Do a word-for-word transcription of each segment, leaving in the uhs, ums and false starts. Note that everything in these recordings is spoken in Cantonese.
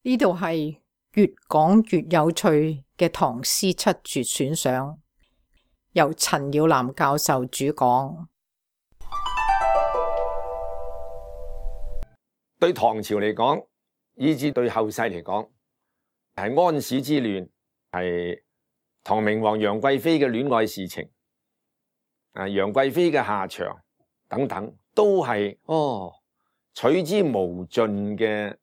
呢度係越講越有趣嘅唐詩七絕選賞，由陳耀南教授主講。對唐朝嚟講，以至對後世嚟講，係安史之亂，係唐明皇楊貴妃嘅戀愛事情，啊楊貴妃嘅下場等等，都係哦取之無盡嘅，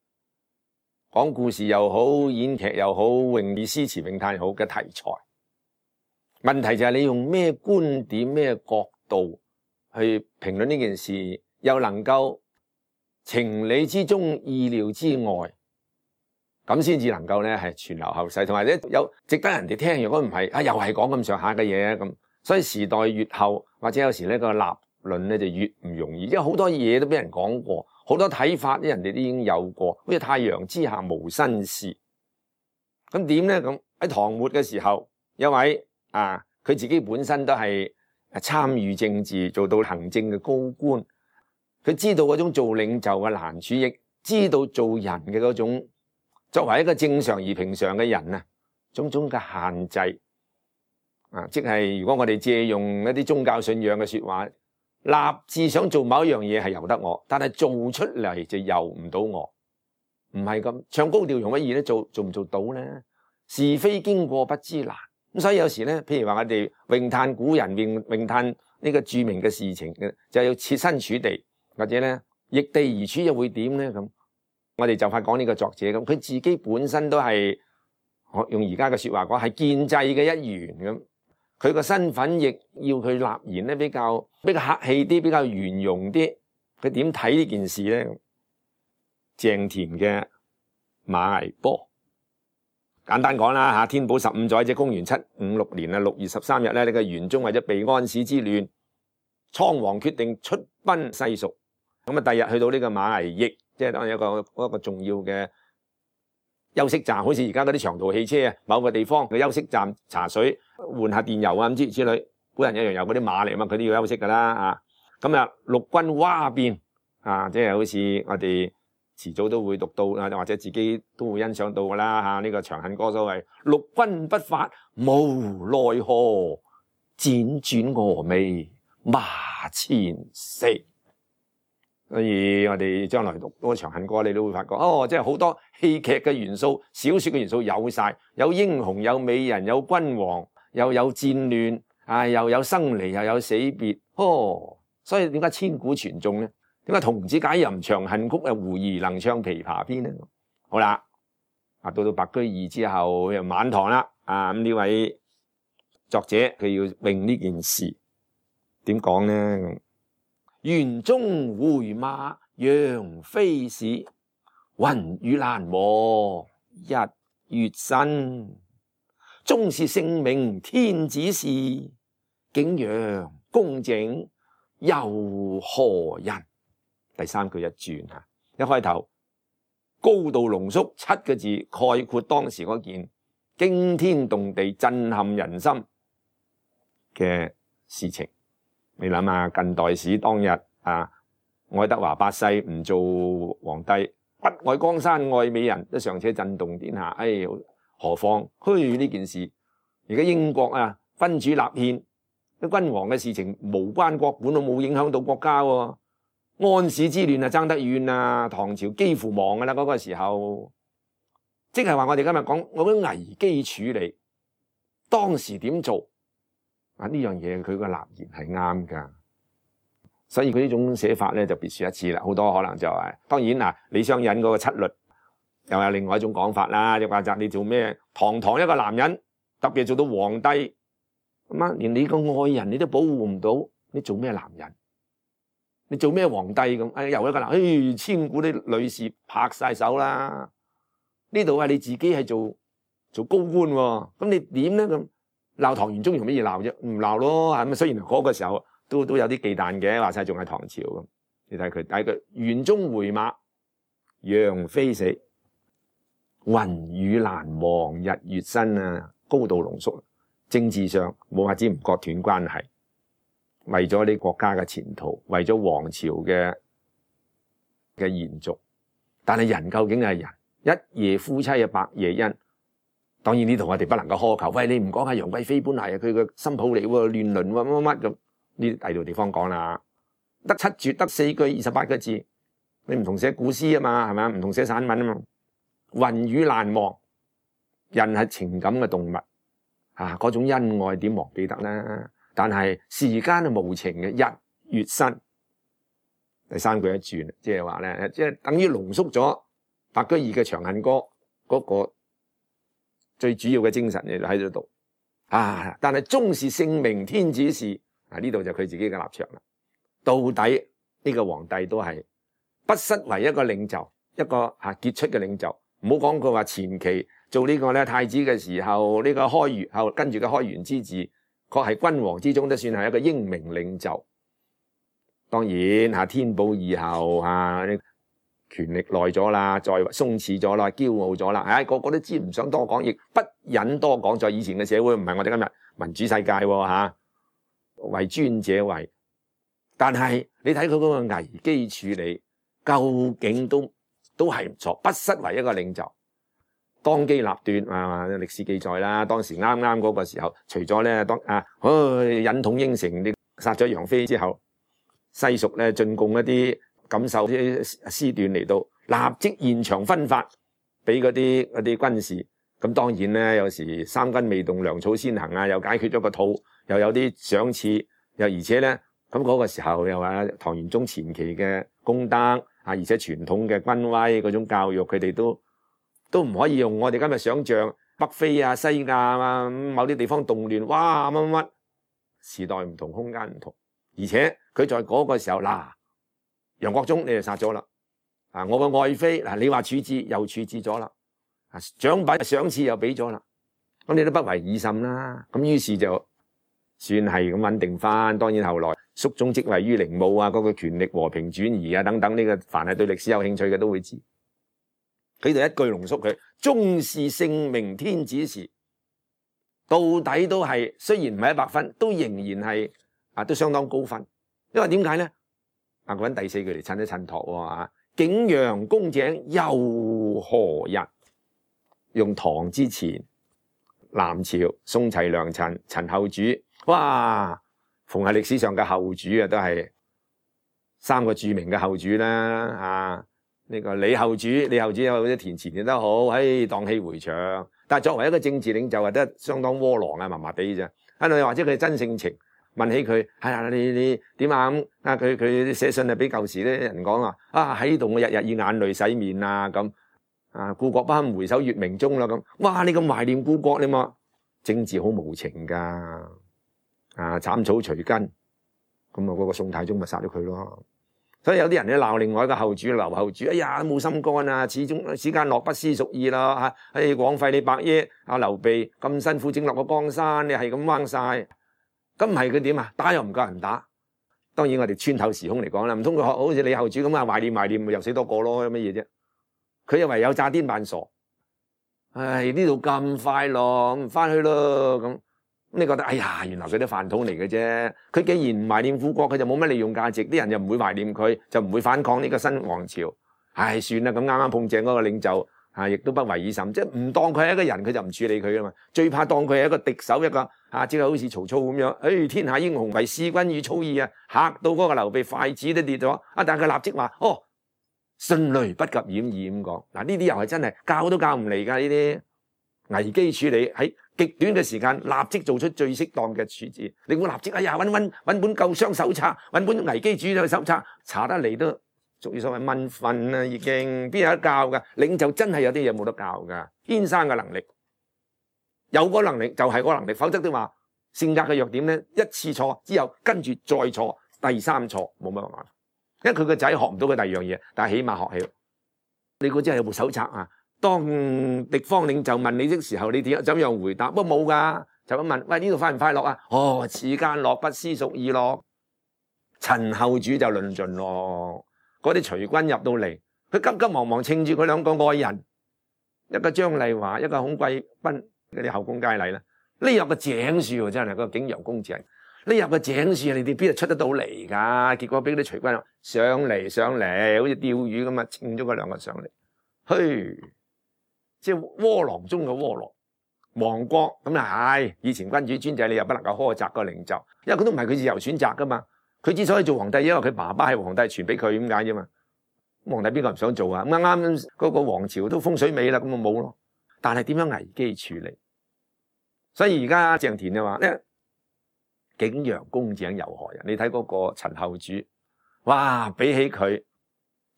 講故事又好，演劇又好，詠意詩詞詠嘆又好嘅題材。問題就係你用咩觀點、咩角度去評論呢件事，又能夠情理之中、意料之外，咁先至能夠咧係傳流後世，同埋咧有值得人哋聽。如果唔係啊，又係講咁上下嘅嘢咁，所以時代越後，或者有時呢個立論咧就越唔容易，因為好多嘢都俾人講過，好多睇法啲人哋都已經有過，好似太陽之下無新事。咁點咧？咁喺唐末嘅時候，有位啊，佢自己本身都係參與政治，做到行政嘅高官。佢知道嗰種做領袖嘅難處，亦知道做人嘅嗰種作為一個正常而平常嘅人啊，種種嘅限制啊，即係如果我哋借用一啲宗教信仰嘅說話，立志想做某一樣嘢係由得我，但係做出嚟就由唔到我，唔係咁唱高調容乜易咧？做做唔做到咧？是非經過不知難，咁所以有時咧，譬如話我哋詠嘆古人，詠詠嘆呢個著名嘅事情嘅，就要設身處地。或者咧逆地而處又會點咧？咁我哋就快講呢個作者咁，佢自己本身都係用而家嘅說話講係建制嘅一員咁，佢個身份亦要佢立言咧比較比較客氣啲，比較圓融啲。佢點睇呢件事咧？鄭田嘅馬嵬坡，簡單講啦吓，天寶十五載即公元七五六年啊六月十三日咧，呢個玄宗為咗避安史之亂，倉皇決定出奔西蜀。咁啊，第日去到呢個馬嵬驛，即係當一個一個重要嘅休息站，好似而家嗰啲長途汽車啊，某個地方嘅休息站茶水、換下電油啊咁之之類，古人一樣有嗰啲馬嚟嘛，佢都要休息噶啦啊。咁啊，陸軍蛙變啊，即係好似我哋遲早都會讀到啊，或者自己都會欣賞到噶啦吓。呢、這個《長恨歌》所謂陸軍不發無奈何，輾轉蛾眉馬前死。所以我哋將來讀嗰個《長恨歌》，你都會發覺哦，即係好多戲劇嘅元素、小說嘅元素有晒，有英雄、有美人、有君王，又有戰亂啊，又有生離，又有死別。哦，所以點解千古傳頌咧？點解童子解吟長恨曲啊，胡兒能唱琵琶篇咧？好啦，啊到到白居易之後又晚唐啦，啊咁呢位作者佢要詠呢件事，點講咧？玄宗回馬楊妃使，雲雨難磨日月新。終是聖明天子事，景陽宮整又何人？第三句一轉吓，一開頭高度濃縮七個字概括當時嗰件驚天動地、震撼人心嘅事情。你諗下，近代史當日啊，愛德華八世唔做皇帝，不愛江山愛美人，都尚且震動天下。哎，何況虛呢件事？而家英國啊，君主立憲，啲君王嘅事情無關國本，都冇影響到國家喎。安史之亂啊，爭得遠啊，唐朝幾乎亡噶啦嗰個時候，即係話我哋今日講我啲危機處理，當時點做？啊！呢樣嘢佢個立言係啱噶，所以佢呢種寫法咧就別樹一幟啦。好多可能就係、是、當然嗱，李商隱嗰個七律又有另外一種講法啦。又話就你做咩？堂堂一個男人，特別做到皇帝咁啊，連你個愛人你都保護唔到，你做咩男人？你做咩皇帝咁？哎，又一個男，哎，千古啲女士拍晒手啦。呢度係你自己係做做高官喎，咁你點咧咁？鬧唐玄宗用乜嘢鬧啫？唔鬧咯，係咪？雖然嗰個時候都都有啲忌憚嘅，話晒仲係唐朝咁。你睇佢，睇佢玄宗回馬，楊妃死，雲雨難忘日月新啊！高度濃縮，政治上冇法子唔割斷關係，為咗你國家嘅前途，為咗皇朝嘅嘅延續。但係人究竟係人，一夜夫妻啊，百夜恩。當然呢度我哋不能夠苛求，喂，你唔講下楊貴妃本嚟佢個新抱嚟喎，亂倫喎乜乜乜咁，呢啲第度地方講啦。得七絕，得四句二十八個字，你唔同寫古詩啊嘛，係咪啊？唔同寫散文啊嘛。雲雨難忘，人係情感嘅動物啊，嗰種恩愛點忘記得呢？但係時間係無情嘅，日月新。第三句一轉，即係話咧，即係等於濃縮咗白居易嘅《長恨歌》嗰個最主要嘅精神喺喺度啊！但係終是聖明天子事啊！呢度就佢自己嘅立場啦。到底呢個皇帝都係不失為一個領袖，一個吓傑出嘅領袖。唔好講佢話前期做呢個咧太子嘅時候，呢個開元後跟住嘅開元之治，確係君王之中都算係一個英明領袖。當然吓天寶以後吓，權力耐咗啦，再鬆弛咗啦，驕傲咗啦，唉，個個都知唔想多講，亦不忍多講。在以前嘅社會，唔係我哋今日民主世界吓，為尊者為。但係你睇佢嗰個危機處理，究竟都都係唔錯，不失為一個領袖。當機立斷啊！歷史記載啦，當時啱啱嗰個時候，除咗咧當啊，忍統應承你殺咗楊妃之後，西蜀咧進貢一啲感受啲絲段嚟到，立即現場分發俾嗰啲嗰啲軍士。咁當然咧，有時三軍未動，糧草先行啊，又解決咗個肚，又有啲賞賜，又而且咧咁嗰個時候又話唐玄宗前期嘅功德啊，而且傳統嘅軍威嗰種教育，佢哋都都唔可以用我哋今日想象北非啊、西亞啊某啲地方動亂，哇乜乜乜，時代唔同，空間唔同。而且佢在嗰個時候，嗱，楊國忠你就殺咗啦，啊，我個愛妃嗱，你話處置又處置咗啦，啊，獎品賞賜又俾咗啦，咁你都不為已甚啦，咁於是就算係咁穩定翻。當然後來肅宗即位於陵墓啊，嗰個權力和平轉移啊等等，呢個凡係對歷史有興趣嘅都會知。佢就一句濃縮佢，終是聖明天子事，到底都係雖然唔係一百分，都仍然係。啊，都相當高分，因為點解咧？啊，揾第四句嚟襯一襯托喎。景陽宮井又何日？用唐之前，南朝宋齊梁陳陳後主，哇！逢係歷史上嘅後主啊，都係三個著名嘅後主啦。啊，呢、這個李後主，李後主有啲填詞填得好，唉，蕩氣迴腸。但係作為一個政治領袖，啊，都相當窩囊啊，麻麻地啫。啊，或者佢真性情。問起佢，係啊，你你點啊咁啊？佢佢寫信啊，俾舊時啲人講啊，啊喺度我日日以眼淚洗面啊咁啊，故國不堪回首月明中啦咁。哇！你咁懷念故國，你嘛政治好無情噶啊！斬草除根，咁啊嗰個宋太宗咪殺咗佢咯。所以有啲人咧鬧另外一個後主劉後主，哎呀冇心肝啊，始終此間樂不思蜀意啦嚇，哎枉費你百億啊劉備咁辛苦整落個江山，你係咁掹晒。咁唔係佢點啊？打又唔夠人打。當然我哋穿透時空嚟講啦，唔通佢學好似李後主咁啊，懷念懷念，咪又死多個咯？有乜嘢啫？佢又唯有詐癲扮傻。唉，呢度咁快樂，唔翻去咯咁。你覺得哎呀，原來佢啲飯桶嚟嘅啫。佢既然唔懷念故國，佢就冇乜利用價值，啲人又唔會懷念佢，就唔會反抗呢個新王朝。唉，算啦，咁啱啱碰正嗰個領袖。啊！亦都不為已甚，即係唔當佢係一個人，佢就唔處理佢噶嘛。最怕當佢係一個敵手，一個啊，即係好似曹操咁樣。誒、哎，天下英雄唯使君與操耳啊！嚇到嗰個劉備筷子都跌咗。啊！但係佢立即話：哦，迅雷不及掩耳咁講。嗱，呢啲又係真係教都教唔嚟㗎。呢啲危機處理喺極短嘅時間，立即做出最適當嘅處置。你會立即哎呀，揾揾揾本救傷手冊，揾本危機處理手冊，查得嚟都。屬於所謂問訓啊，已經邊有得教噶？領袖真係有啲嘢冇得教噶，天生嘅能力，有個能力就係個能力，否則都話性格嘅弱點咧，一次錯之後跟住再錯，第三錯冇乜辦法，因為佢個仔學唔到佢第二樣嘢，但係起碼學起。你估真係有部手冊啊？當敵方領袖問你的時候，你點怎樣回答？不過冇噶，就咁問，喂，呢度快唔快樂啊？哦，此間樂不思蜀意咯。陳後主就論盡咯。嗰啲隨軍入到嚟，佢急急忙忙稱住佢兩個愛人，一個張麗華，一個孔貴賓嗰啲後宮佳麗啦。呢入個井樹真係個景陽宮井，呢入個井樹你哋邊度出得到嚟噶？結果俾啲隨軍上嚟上嚟，好似釣魚咁啊，稱咗佢兩個上嚟。嘿，即係窩囊中嘅窩囊。亡國咁啊係，以前君主專制，你又不能夠苛責個領袖，因為佢都唔係佢自由選擇噶嘛。佢之所以做皇帝，因為佢爸爸係皇帝，傳俾佢咁解啫嘛。皇帝邊個唔想做啊？啱啱嗰個皇朝都風水尾啦，咁咪冇咯。但係點樣危機處理？所以而家鄭田就話咧，景陽宮井由何人？你睇嗰個陳後主，哇，比起佢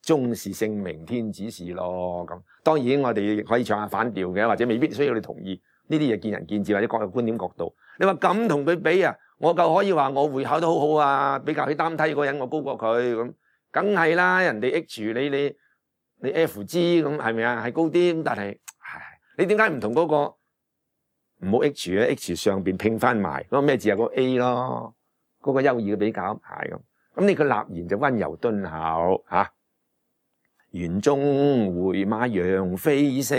終是聖明天子事咯。咁當然我哋亦可以唱下反調嘅，或者未必需要你同意。呢啲嘢見仁見智，或者各有觀點角度。你話咁同佢比啊，我夠可以話我會考得好好啊，比較起擔梯嗰個人我高過佢咁，梗係啦。人哋 H 你你你 F G 咁係咪啊？係高啲咁，但係唉，你點解唔同嗰個唔好 H 咧 ？H 上邊拼翻埋嗰個咩字啊？嗰個 A 咯，嗰個優異嘅比較係咁。咁你個立言就溫柔敦厚嚇。園中回馬楊妃死，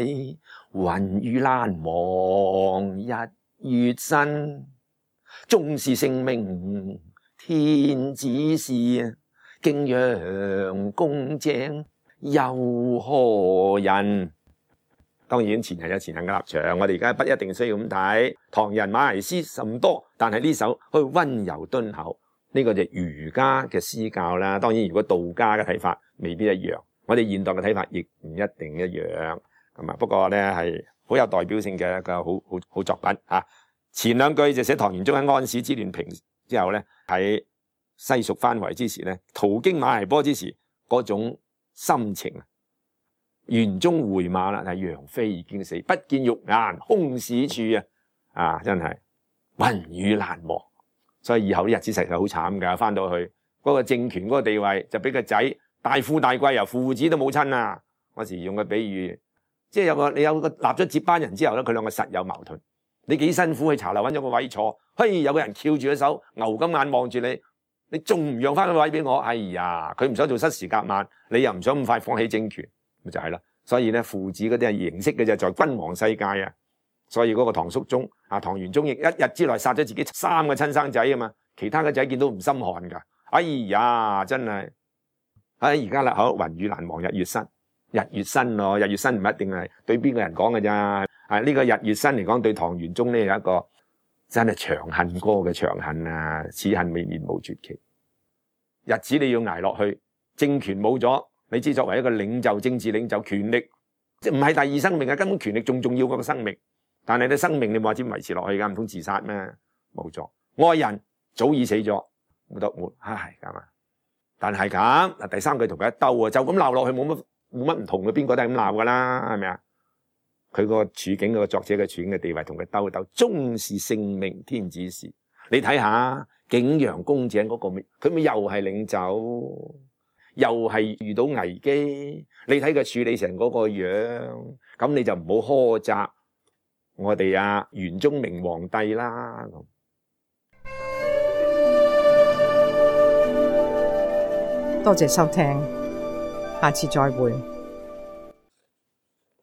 雲雨蘭忘日月新。終是聖明天子事，景陽宮井由何人？當然前人有前人嘅立場，我哋而家不一定需要咁睇。唐人馬來詩甚多，但係呢首去溫柔敦厚，呢、這個就儒家嘅詩教啦。當然如果道家嘅睇法未必一樣。我哋現代嘅睇法亦唔一定一樣，咁啊，不過咧係好有代表性嘅一個好好好作品嚇。前兩句就寫唐玄宗喺安史之亂平之後咧，喺西蜀番圍之時咧，途經馬嵬坡之時嗰種心情啊。園中回馬啦，係楊妃已經死，不見玉顏空使處啊！啊，真係雲雨難忘，所以以後啲日子實係好慘㗎。翻到去嗰個政權嗰個地位就俾個仔。大富大貴啊，父子都冇親啊！嗰時用個比喻，即係有個你有個立咗接班人之後咧，佢兩個實有矛盾。你幾辛苦去茶樓揾咗個位坐，嘿，有個人翹住隻手，牛咁眼望住你，你仲唔讓翻個位俾我？哎呀，佢唔想做失時夾萬，你又唔想咁快放棄政權，咪就係啦。所以咧，父子嗰啲係形式嘅啫，在君王世界啊。所以嗰個唐肅宗啊，唐玄宗亦一日之內殺咗自己三個親生仔啊嘛，其他嘅仔見到唔心寒噶。哎呀，真係〜喺而家啦，好雲雨難忘日月新，日月新咯，日月新唔一定係對邊個人講嘅咋？啊，呢個日月新嚟講，對唐玄宗呢有一個真係長恨歌嘅長恨啊！此恨未滅無絕期，日子你要捱落去，政權冇咗，你知作為一個領袖、政治領袖，權力即係唔係第二生命啊？根本權力仲重要過個生命，但係你生命你冇話點維持落去噶？唔通自殺咩？冇錯，愛人早已死咗，冇得活，唉咁啊！但係咁嗱，第三句同佢一兜啊，就咁鬧落去冇乜冇乜唔同嘅，邊個都係咁鬧噶啦，係咪啊？佢個處境，嗰個作者嘅處境嘅地位同佢兜一兜，終是聖明天子事。你睇下景陽宮井嗰個，佢咪又係領袖，又係遇到危機。你睇佢處理成嗰個樣，咁你就唔好苛責我哋啊元宗明皇帝啦。多謝收聽，下次再會。